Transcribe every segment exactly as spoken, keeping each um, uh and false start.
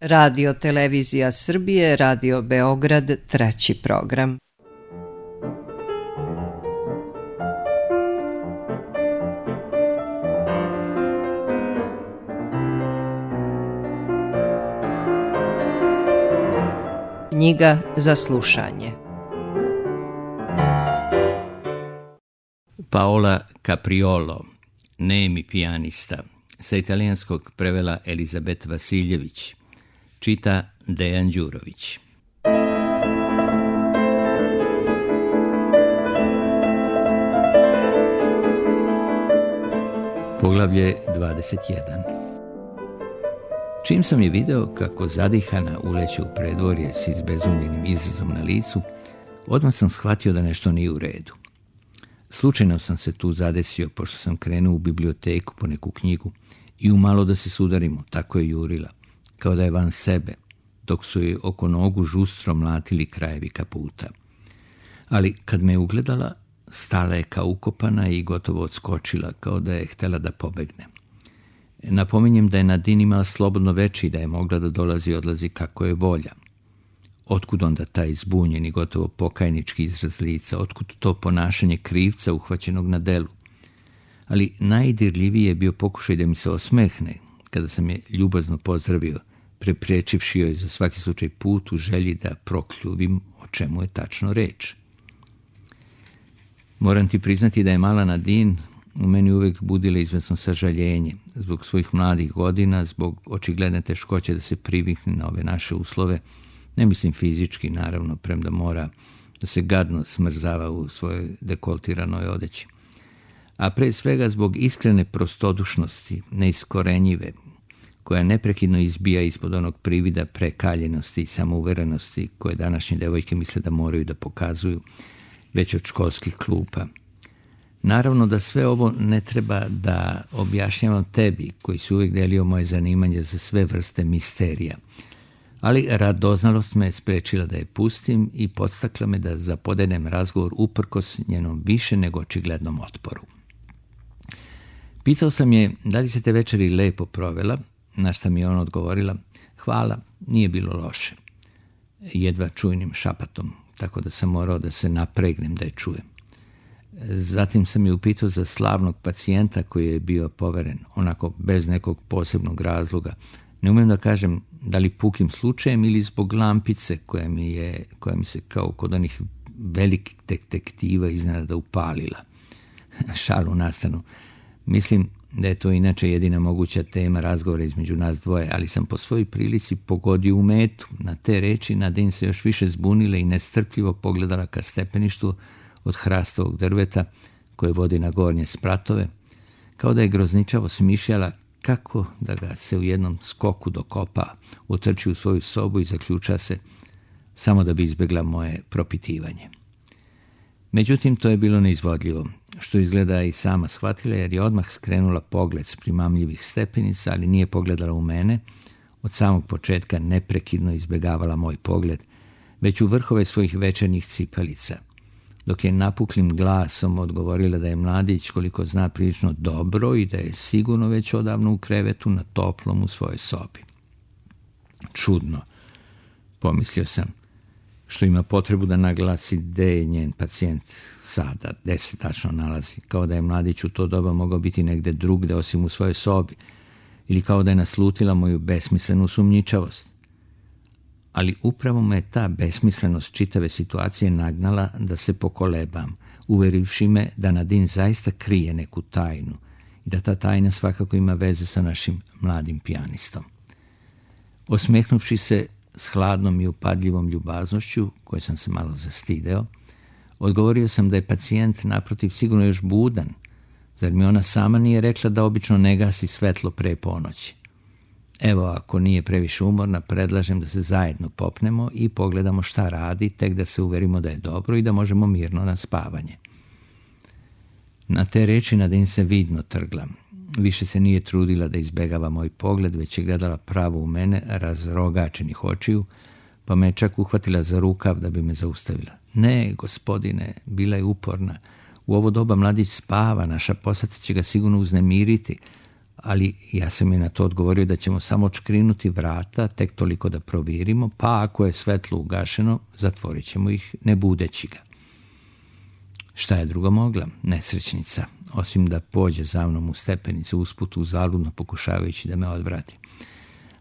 Radio Televizija Srbije, Radio Beograd, treći program. Knjiga za slušanje. Paola Capriolo, nemi pijanista, sa italijanskog prevela Elizabet Vasiljević, čita Dejan Đurović. Poglavlje dvadeset jedan. Čim sam je video kako zadihana uleće u predvorje s izbezumljenim izrazom na licu, odmah sam shvatio da nešto nije u redu. Slučajno sam se tu zadesio, pošto sam krenuo u biblioteku po neku knjigu i umalo da se sudarimo, tako je jurila, kao da je van sebe, dok su joj oko nogu žustro mlatili krajevi kaputa. Ali kad me je ugledala, stala je kao ukopana i gotovo odskočila, kao da je htjela da pobegne. Napominjem da je Nadine imala slobodno veče i da je mogla da dolazi i odlazi kako je volja. Otkud onda taj zbunjeni, gotovo pokajnički izraz lica, otkud to ponašanje krivca uhvaćenog na delu? Ali najdirljiviji je bio pokušaj da mi se osmehne, kada sam je ljubazno pozdravio, prepriječivši joj za svaki slučaj put u želji da prokljuvim o čemu je tačno reč. Moram ti priznati da je mala Nadine u meni uvijek budila izvesno sažaljenje, zbog svojih mladih godina, zbog očigledne teškoće da se privikne na ove naše uslove, ne mislim fizički, naravno, premda mora da se gadno smrzava u svojoj dekoltiranoj odeći. A pre svega zbog iskrene prostodušnosti, neiskorenjive, koja neprekidno izbija ispod onog privida prekaljenosti i samouverenosti koje današnje devojke misle da moraju da pokazuju već od školskih klupa. Naravno da sve ovo ne treba da objašnjavam tebi, koji si uvijek delio moje zanimanje za sve vrste misterija, ali radoznalost me je sprečila da je pustim i podstakla me da zapodenem razgovor uprkos njenom više nego očiglednom otporu. Pitao sam je da li se te večeri lepo provela, na šta mi je ona odgovorila: hvala, nije bilo loše. Jedva čujnim šapatom, tako da sam morao da se napregnem da je čujem. Zatim sam je upitao za slavnog pacijenta koji je bio poveren, onako bez nekog posebnog razloga. Ne umijem da kažem da li pukim slučajem ili zbog lampice koja mi je, koja mi se kao kod onih velikih detektiva iznenada upalila. Šalu na stranu. Mislim da je to inače jedina moguća tema razgovora između nas dvoje, ali sam po svojoj prilici pogodio u metu. Na te reči Nadine se još više zbunila i nestrpljivo pogledala ka stepeništu od hrastovog drveta koje vodi na gornje spratove, kao da je grozničavo smišljala kako da ga se u jednom skoku dokopa, utrči u svoju sobu i zaključa se, samo da bi izbjegla moje propitivanje. Međutim, to je bilo neizvodljivo, što izgleda i sama shvatila, jer je odmah skrenula pogled s primamljivih stepenica, ali nije pogledala u mene. Od samog početka neprekidno izbjegavala moj pogled, već u vrhove svojih večernjih cipelica, dok je napuklim glasom odgovorila da je mladić, koliko zna, prilično dobro i da je sigurno već odavno u krevetu na toplom u svojoj sobi. Čudno, pomislio sam, što ima potrebu da naglasi gde je njen pacijent sada, gde se tačno nalazi, kao da je mladić u to doba mogao biti negde drugde osim u svojoj sobi, ili kao da je naslutila moju besmislenu sumnjičavost. Ali upravo me ta besmislenost čitave situacije nagnala da se pokolebam, uverivši me da Nadine zaista krije neku tajnu i da ta tajna svakako ima veze sa našim mladim pijanistom. Osmehnuvši se s hladnom i upadljivom ljubaznošću, koje sam se malo zastideo, odgovorio sam da je pacijent naprotiv sigurno još budan, zar mi ona sama nije rekla da obično ne gasi svetlo pre ponoći. Evo, ako nije previše umorna, predlažem da se zajedno popnemo i pogledamo šta radi, tek da se uverimo da je dobro i da možemo mirno na spavanje. Na te reči Nadine se vidno trgla. Više se nije trudila da izbegava moj pogled, već je gledala pravo u mene, razrogačenih očiju, pa me je čak uhvatila za rukav da bi me zaustavila. Ne, gospodine, bila je uporna. U ovo doba mladić spava, naša posada će ga sigurno uznemiriti, ali ja sam je na to odgovorio da ćemo samo odškrinuti vrata, tek toliko da provjerimo, pa ako je svetlo ugašeno, zatvorit ćemo ih ne budeći ga. Šta je drugo mogla, nesrećnica, osim da pođe za mnom u stepenice usput uzaludno pokušavajući da me odvrati.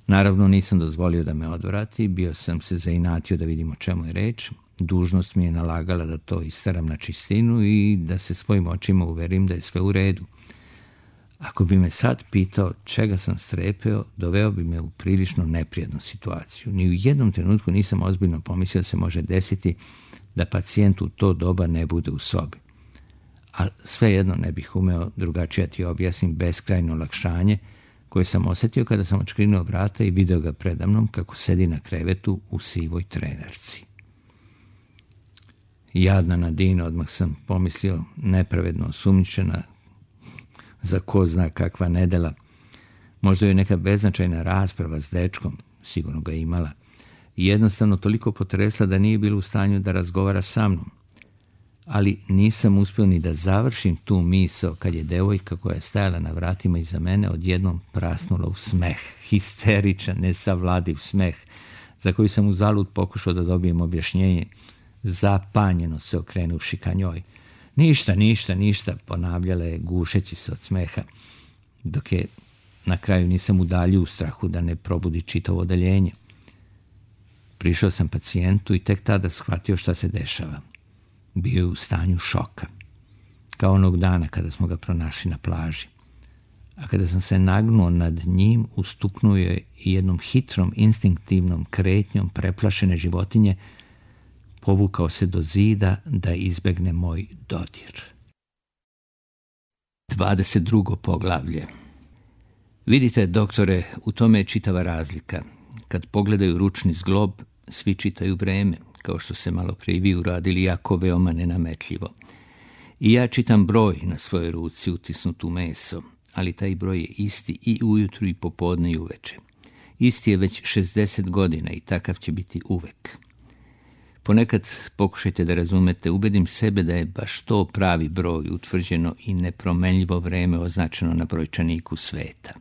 Naravno nisam dozvolio da me odvrati, bio sam se zainatio da vidimo čemu je reč. Dužnost mi je nalagala da to istaram na čistinu i da se svojim očima uverim da je sve u redu. Ako bi me sad pitao čega sam strepeo, doveo bi me u prilično neprijatnu situaciju. Ni u jednom trenutku nisam ozbiljno pomislio da se može desiti da pacijent u to doba ne bude u sobi. A svejedno ne bih umeo drugačije ti objasnim beskrajno olakšanje koje sam osjetio kada sam odškrinuo vrata i video ga predamnom kako sedi na krevetu u sivoj trenerci. Jadna Nadina, odmah sam pomislio, nepravedno osumnjičena za ko zna kakva nedela. Možda je neka beznačajna rasprava s dečkom, sigurno ga imala, i jednostavno toliko potresla da nije bila u stanju da razgovara sa mnom. Ali nisam uspio ni da završim tu misao kad je devojka koja je stajala na vratima iza mene odjednom prasnula u smeh, histeričan, nesavladiv smeh, za koji sam uzalud pokušao da dobijem objašnjenje, zapanjeno se okrenuvši ka njoj. Ništa, ništa, ništa, ponavljala je gušeći se od smeha, dok je na kraju nisam udaljio u strahu da ne probudi čitavo odeljenje. Prišao sam pacijentu i tek tada shvatio šta se dešava. Bio je u stanju šoka, kao onog dana kada smo ga pronašli na plaži. A kada sam se nagnuo nad njim, ustuknuo je i jednom hitrom, instinktivnom kretnjom preplašene životinje, povukao se do zida da izbegne moj dodir. dvadeset drugo poglavlje. Vidite, doktore, u tome je čitava razlika. Kad pogledaju ručni zglob, svi čitaju vreme, kao što se malo prije vi uradili jako veoma nenametljivo. I ja čitam broj na svojoj ruci utisnut u meso, ali taj broj je isti i ujutru i popodne i uveče. Isti je već šezdeset godina i takav će biti uvek. Ponekad pokušajte da razumete, ubedim sebe da je baš to pravi broj, utvrđeno i nepromenljivo vreme označeno na brojčaniku sveta.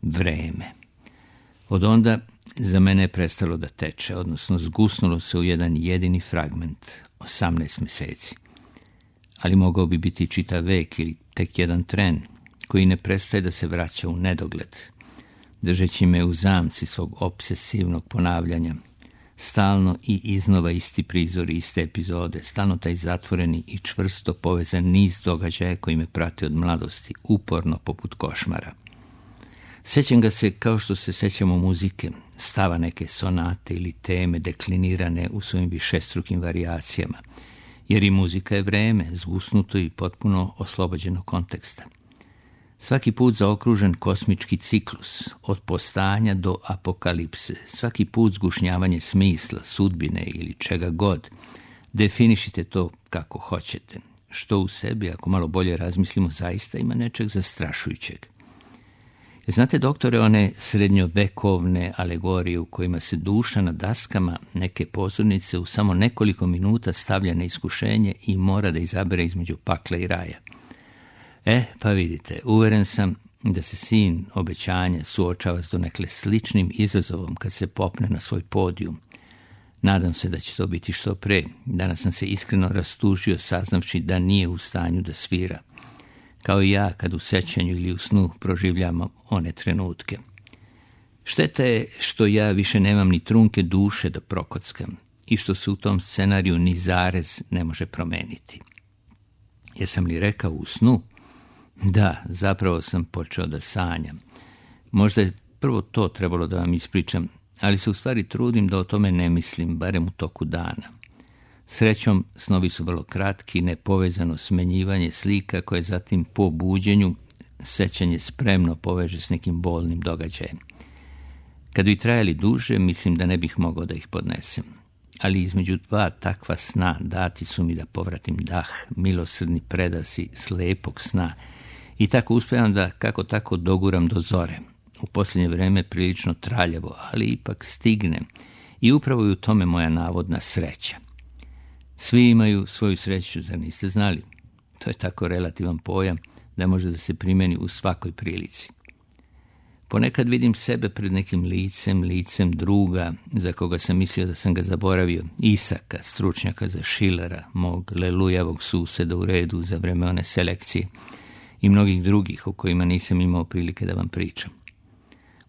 Vreme. Od onda za mene je prestalo da teče, odnosno zgusnulo se u jedan jedini fragment, osamnaest mjeseci. Ali mogao bi biti čitav vek ili tek jedan tren, koji ne prestaje da se vraća u nedogled, držeći me u zamci svog obsesivnog ponavljanja. Stalno i iznova isti prizori, iste epizode, stalno taj zatvoreni i čvrsto povezan niz događaja koji me prate od mladosti, uporno poput košmara. Sećam ga se kao što se sećamo muzike, stava neke sonate ili teme deklinirane u svojim višestrukim varijacijama, jer i muzika je vreme, zgusnuto i potpuno oslobođeno konteksta. Svaki put zaokružen kosmički ciklus, od postanja do apokalipse, svaki put zgušnjavanje smisla, sudbine ili čega god, definišite to kako hoćete, što u sebi, ako malo bolje razmislimo, zaista ima nečeg zastrašujućeg. Znate, doktore, one srednjovekovne alegorije u kojima se duša na daskama neke pozornice u samo nekoliko minuta stavlja na iskušenje i mora da izabere između pakla i raja. E, pa vidite, uveren sam da se sin obećanja suočava s donekle sličnim izazovom kad se popne na svoj podijum. Nadam se da će to biti što pre. Danas sam se iskreno rastužio saznavši da nije u stanju da svira. Kao i ja kad u sećanju ili u snu proživljamo one trenutke. Šteta je što ja više nemam ni trunke duše da prokockam i što se u tom scenariju ni zarez ne može promeniti. Jesam li rekao u snu? Da, zapravo sam počeo da sanjam. Možda je prvo to trebalo da vam ispričam, ali se u stvari trudim da o tome ne mislim, barem u toku dana. Srećom, snovi su vrlo kratki, nepovezano smenjivanje slika koje zatim po buđenju sećanje spremno poveže s nekim bolnim događajem. Kad bi trajali duže, mislim da ne bih mogao da ih podnesem. Ali između dva takva sna dati su mi da povratim dah, milosrdni predasi slepog sna i tako uspevam da kako tako doguram do zore. U posljednje vreme prilično traljavo, ali ipak stignem i upravo je u tome moja navodna sreća. Svi imaju svoju sreću, zar niste znali? To je tako relativan pojam da može da se primeni u svakoj prilici. Ponekad vidim sebe pred nekim licem, licem druga, za koga sam mislio da sam ga zaboravio, Isaka, stručnjaka za Schillera, mog lelujavog suseda u redu za vreme one selekcije i mnogih drugih o kojima nisam imao prilike da vam pričam.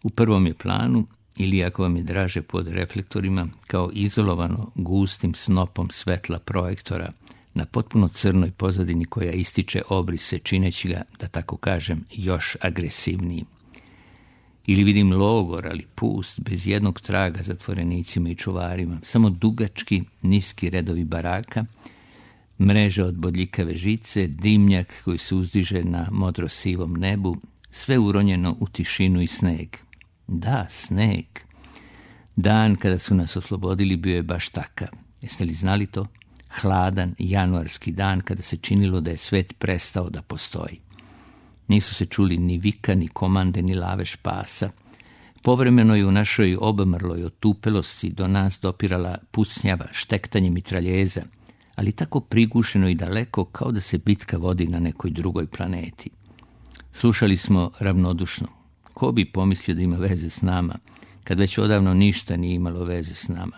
U prvom je planu, ili ako vam je draže pod reflektorima, kao izolovano gustim snopom svetla projektora na potpuno crnoj pozadini koja ističe obrise čineći ga, da tako kažem, još agresivnijim. Ili vidim logor, ali pust, bez jednog traga zatvorenicima i čuvarima, samo dugački, niski redovi baraka, mreže od bodljikave žice, dimnjak koji se uzdiže na modro-sivom nebu, sve uronjeno u tišinu i sneg. Da, sneg. Dan kada su nas oslobodili bio je baš takav. Jeste li znali to? Hladan januarski dan kada se činilo da je svet prestao da postoji. Nisu se čuli ni vika, ni komande, ni lavež pasa. Povremeno je u našoj obmrloj otupelosti do nas dopirala pucnjava, štektanje mitraljeza, ali tako prigušeno i daleko kao da se bitka vodi na nekoj drugoj planeti. Slušali smo ravnodušno. Ko bi pomislio da ima veze s nama, kad već odavno ništa nije imalo veze s nama.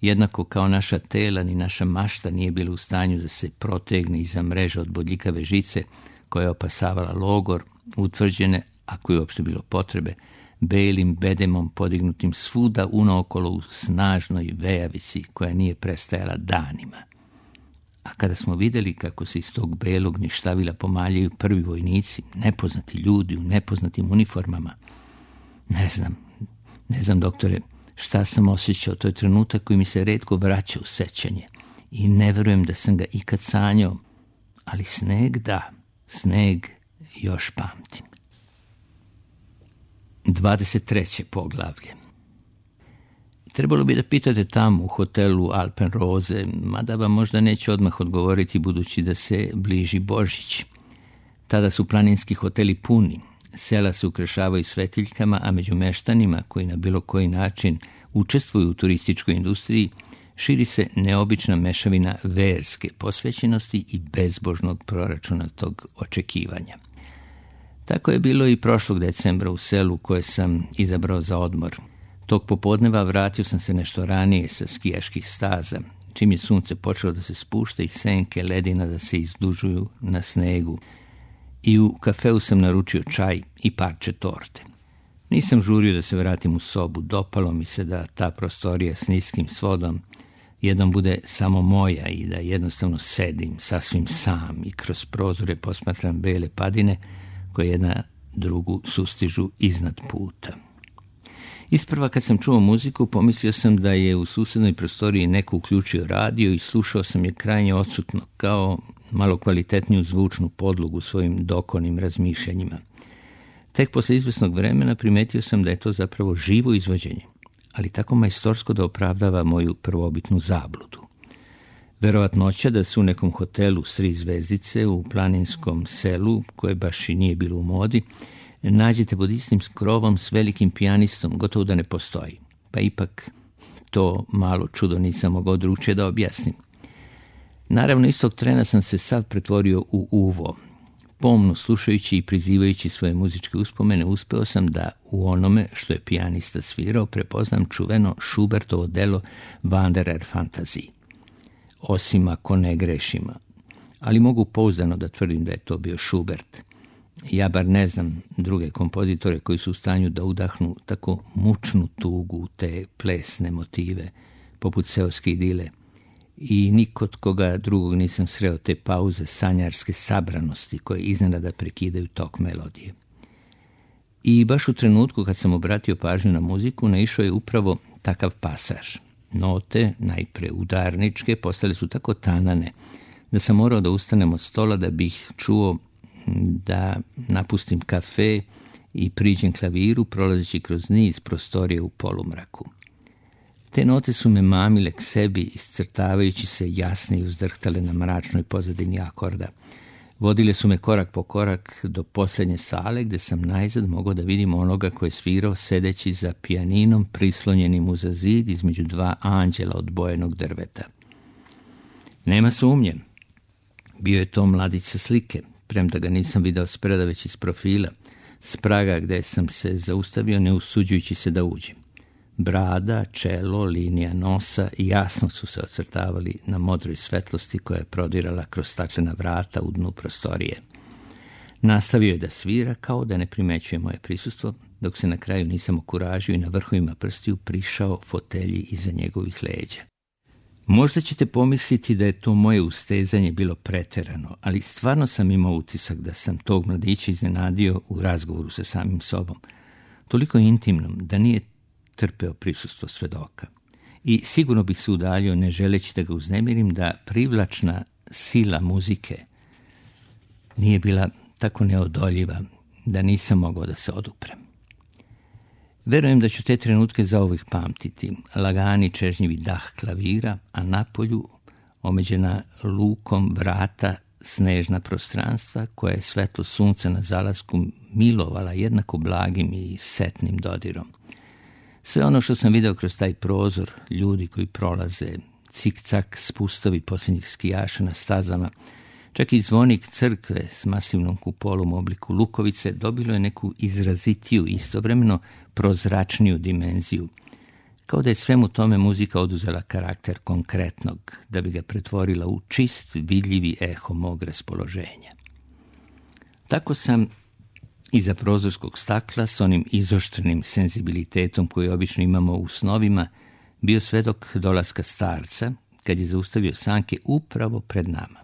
Jednako kao naša tela ni naša mašta nije bila u stanju da se protegne iza mreža od bodljikave žice koja je opasavala logor, utvrđene, ako je uopšte bilo potrebe, belim bedemom podignutim svuda unaokolo u snažnoj vejavici koja nije prestajala danima. A kada smo vidjeli kako se iz tog belog ništavila pomaljaju prvi vojnici, nepoznati ljudi u nepoznatim uniformama, ne znam, ne znam, doktore, šta sam osjećao, to je trenutak koji mi se retko vraća u sećanje i ne verujem da sam ga ikad sanjao, ali sneg da, sneg još pamtim. dvadeset treće poglavlje. Trebalo bi da pitate tamo u hotelu Alpenrose, mada vam možda neće odmah odgovoriti budući da se bliži Božić. Tada su planinski hoteli puni, sela se ukrašavaju svetiljkama, a među meštanima koji na bilo koji način učestvuju u turističkoj industriji širi se neobična mešavina verske posvećenosti i bezbožnog proračunatog očekivanja. Tako je bilo i prošlog decembra u selu koje sam izabrao za odmor. Tog popodneva vratio sam se nešto ranije sa skijaških staza, čim je sunce počelo da se spušta i senke ledina da se izdužuju na snegu. I u kafeu sam naručio čaj i parče torte. Nisam žurio da se vratim u sobu, dopalo mi se da ta prostorija s niskim svodom jednom bude samo moja i da jednostavno sedim sasvim sam i kroz prozore posmatram bele padine koje jedna drugu sustižu iznad puta. Isprva kad sam čuo muziku, pomislio sam da je u susednoj prostoriji neko uključio radio i slušao sam je krajnje odsutno, kao malo kvalitetniju zvučnu podlogu svojim dokonim razmišljanjima. Tek posle izvesnog vremena primetio sam da je to zapravo živo izvođenje, ali tako majstorsko da opravdava moju prvobitnu zabludu. Verovatnoća da se u nekom hotelu s tri zvezdice u planinskom selu, koje baš i nije bilo u modi, nađete pod istim skrovom s velikim pijanistom, gotovo da ne postoji. Pa ipak to malo čudo nisam mogao drugačije da objasnim. Naravno, istog trena sam se sav pretvorio u uvo. Pomno slušajući i prizivajući svoje muzičke uspomene, uspeo sam da u onome što je pijanista svirao prepoznam čuveno Schubertovo delo Wanderer Fantasie. Osim ako ne grešima. Ali mogu pouzdano da tvrdim da je to bio Schubert. Ja bar ne znam druge kompozitore koji su u stanju da udahnu tako mučnu tugu u te plesne motive, poput seoske idile. I nikod koga drugog nisam sreo te pauze sanjarske sabranosti koje iznenada prekidaju tok melodije. I baš u trenutku kad sam obratio pažnju na muziku, naišao je upravo takav pasaž. Note, najpre udarničke, postale su tako tanane da sam morao da ustanem od stola da bih čuo, da napustim kafe i priđem klaviru prolazeći kroz niz prostorije u polumraku. Te note su me mamile k sebi, iscrtavajući se jasne i uzdrhtale na mračnoj pozadini akorda. Vodile su me korak po korak do posljednje sale, gde sam najzad mogao da vidim onoga koji je svirao sedeći za pijaninom prislonjenim uza zid između dva anđela od bojenog drveta. Nema sumnje, bio je to mladić sa slike, premda ga nisam video spreda već iz profila, s praga gde sam se zaustavio ne usuđujući se da uđem. Brada, čelo, linija nosa jasno su se ocrtavali na modroj svetlosti koja je prodirala kroz staklena vrata u dnu prostorije. Nastavio je da svira kao da ne primećuje moje prisustvo, dok se na kraju nisam okuražio i na vrhovima prstiju prišao fotelji iza njegovih leđa. Možda ćete pomisliti da je to moje ustezanje bilo preterano, ali stvarno sam imao utisak da sam tog mladića iznenadio u razgovoru sa samim sobom, toliko intimnom da nije trpeo prisustvo svedoka. I sigurno bih se udaljio, ne želeći da ga uznemirim, da privlačna sila muzike nije bila tako neodoljiva da nisam mogao da se oduprem. Verujem da ću te trenutke zauvijek pamtiti, lagani čežnjivi dah klavira, a napolju omeđena lukom vrata snežna prostranstva koja je svetlo sunca na zalasku milovala jednako blagim i setnim dodirom. Sve ono što sam video kroz taj prozor, ljudi koji prolaze, cik-cak spustovi posljednjih skijaša na stazama, čak i zvonik crkve s masivnom kupolom u obliku lukovice dobilo je neku izrazitiju, istovremeno prozračniju dimenziju, kao da je svemu tome muzika oduzela karakter konkretnog, da bi ga pretvorila u čist, vidljivi eho mog raspoloženja. Tako sam iza prozorskog stakla s onim izoštrenim senzibilitetom koji obično imamo u snovima bio svedok dolaska starca kad je zaustavio sanke upravo pred nama.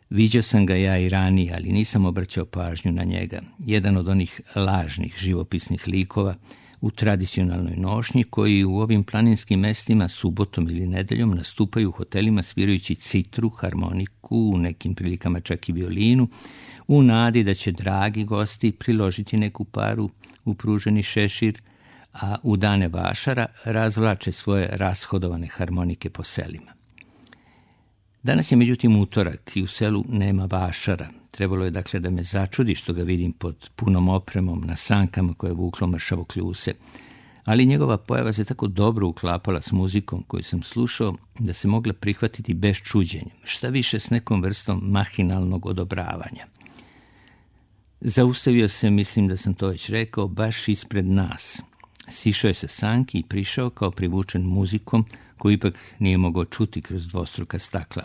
Viđao sam ga ja i ranije, ali nisam obraćao pažnju na njega. Jedan od onih lažnih živopisnih likova u tradicionalnoj nošnji koji u ovim planinskim mestima subotom ili nedeljom nastupaju u hotelima svirajući citru, harmoniku, u nekim prilikama čak i violinu, u nadi da će dragi gosti priložiti neku paru u pruženi šešir, a u dane vašara razvlače svoje rashodovane harmonike po selima. Danas je međutim utorak i u selu nema vašara. Trebalo je dakle da me začudi što ga vidim pod punom opremom na sankama koje je vuklo mršavo kljuse, ali njegova pojava se tako dobro uklapala s muzikom koju sam slušao da se mogla prihvatiti bez čuđenja, šta više s nekom vrstom mahinalnog odobravanja. Zaustavio se, mislim da sam to već rekao, baš ispred nas. Sišao je sa sanki i prišao kao privučen muzikom koju ipak nije mogao čuti kroz dvostruka stakla.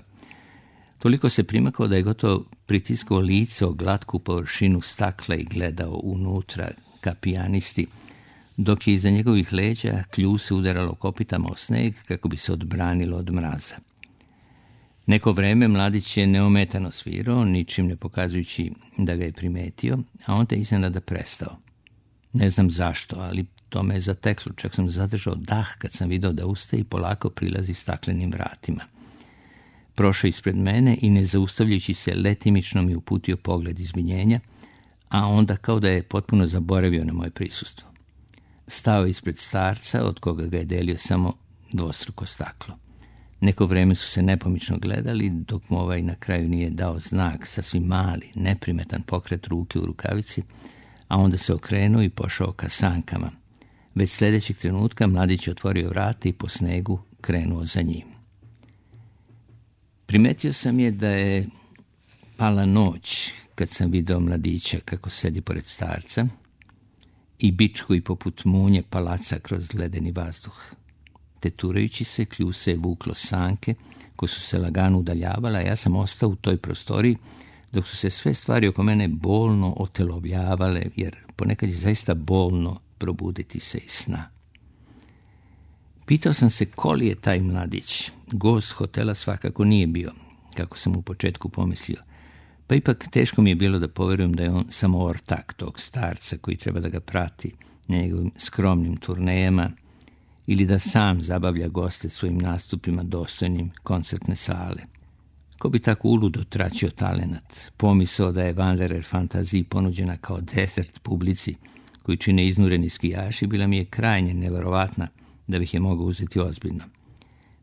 Toliko se primakao da je gotovo pritiskao lice o glatku površinu stakla i gledao unutra ka pijanisti, dok je iza njegovih leđa kljuse udaralo kopitama o sneg kako bi se odbranilo od mraza. Neko vreme mladić je neometano svirao, ničim ne pokazujući da ga je primetio, a onda je iznenada prestao. Ne znam zašto, ali to me je zateklo, čak sam zadržao dah kad sam video da ustaje i polako prilazi staklenim vratima. Prošao ispred mene i ne zaustavljajući se letimično mi uputio pogled izvinjenja, a onda kao da je potpuno zaboravio na moje prisustvo. Stao ispred starca, od koga ga je delio samo dvostruko staklo. Neko vreme su se nepomično gledali, dok mu ovaj na kraju nije dao znak, sasvim mali, neprimetan pokret ruke u rukavici, a onda se okrenuo i pošao ka sankama. Već sljedećeg trenutka mladić je otvorio vrata i po snegu krenuo za njim. Primetio sam je da je pala noć kad sam video mladića kako sedi pored starca i bičku i poput munje palaca kroz ledeni vazduh. Teturajući se, kljuse je vuklo sanke koje su se lagano udaljavale, a ja sam ostao u toj prostoriji dok su se sve stvari oko mene bolno otelovljavale, jer ponekad je zaista bolno probuditi se iz sna. Pitao sam se ko li je taj mladić. Gost hotela svakako nije bio, kako sam u početku pomislio. Pa ipak teško mi je bilo da poverujem da je on samo ortak tog starca koji treba da ga prati njegovim skromnim turnejama ili da sam zabavlja goste svojim nastupima dostojnim koncertne sale. Ko bi tako uludo traćio talenat, pomisao da je Wanderer fantaziji ponuđena kao desert publici koji čine iznureni skijaši, bila mi je krajnje neverovatna da bih je mogao uzeti ozbiljno.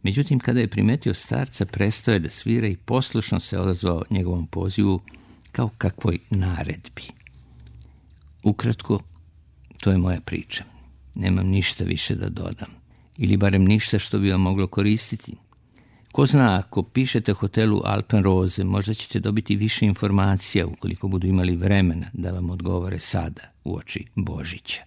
Međutim, kada je primetio starca, prestao je da svira i poslušno se odazvao njegovom pozivu kao kakvoj naredbi. Ukratko, to je moja priča. Nemam ništa više da dodam, ili barem ništa što bi vam moglo koristiti. Ko zna, ako pišete hotelu Alpenrose, možda ćete dobiti više informacija ukoliko budu imali vremena da vam odgovore sada, uoči Božića.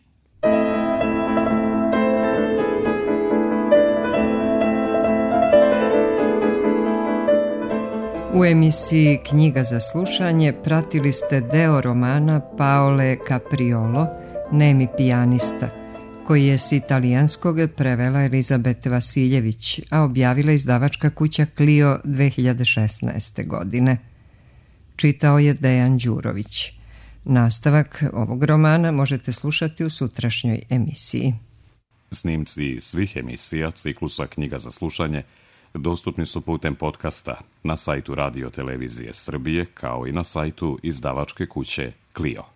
U emisiji Knjiga za slušanje pratili ste deo romana Paole Capriolo, Nemi pijanista, koji je s italijanskog prevela Elizabete Vasiljević, a objavila izdavačka kuća Clio dve hiljade šesnaeste. godine. Čitao je Dejan Đurović. Nastavak ovog romana možete slušati u sutrašnjoj emisiji. Snimci svih emisija ciklusa Knjiga za slušanje dostupni su putem podcasta na sajtu Radio Televizije Srbije kao i na sajtu izdavačke kuće Clio.